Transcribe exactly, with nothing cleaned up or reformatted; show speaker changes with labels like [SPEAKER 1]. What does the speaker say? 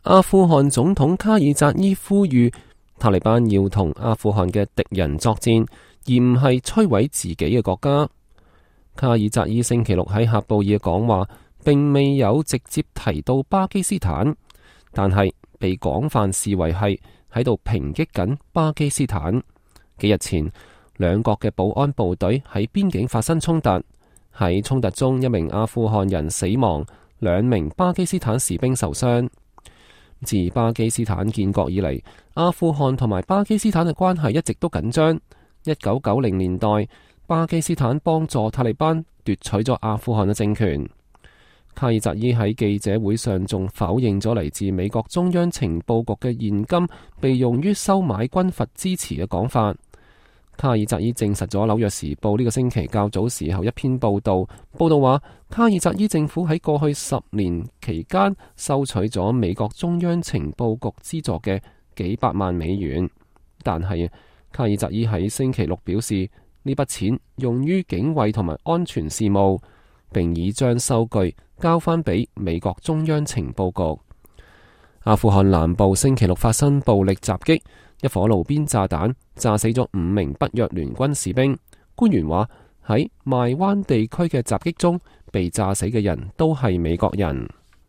[SPEAKER 1] 阿富汗總統卡爾扎伊呼籲塔利班要同阿富汗嘅敵人作戰，而唔係摧毀自己嘅國家。卡爾扎伊星期六喺喀布爾嘅講話，並未有直接提到巴基斯坦，但係被廣泛視為係喺度抨擊緊巴基斯坦。幾日前，兩國嘅保安部隊喺邊境發生衝突，喺衝突中一名阿富汗人死亡，兩名巴基斯坦士兵受傷。自巴基斯坦建國以嚟，阿富汗同埋巴基斯坦嘅關係一直都緊張。一九九零年代，巴基斯坦幫助塔利班奪取咗阿富汗嘅政權。卡爾扎伊喺記者會上仲否認咗嚟自美國中央情報局嘅現金被用於收買軍閥支持嘅講法。卡爾扎伊證實咗《紐約時報》呢個星期較早時候一篇報道，報道話卡爾扎伊政府喺過去十年期間收取咗美國中央情報局資助嘅幾百萬美元，但係卡爾扎伊喺星期六表示呢筆錢用於警衛同埋安全事務，並已將收據交翻俾美國中央情報局。阿富汗南部星期六發生暴力襲擊，一顆路邊炸彈炸死咗五名北約聯軍士兵。官員話喺邁灣地區嘅襲擊中被炸死嘅人都係美國人。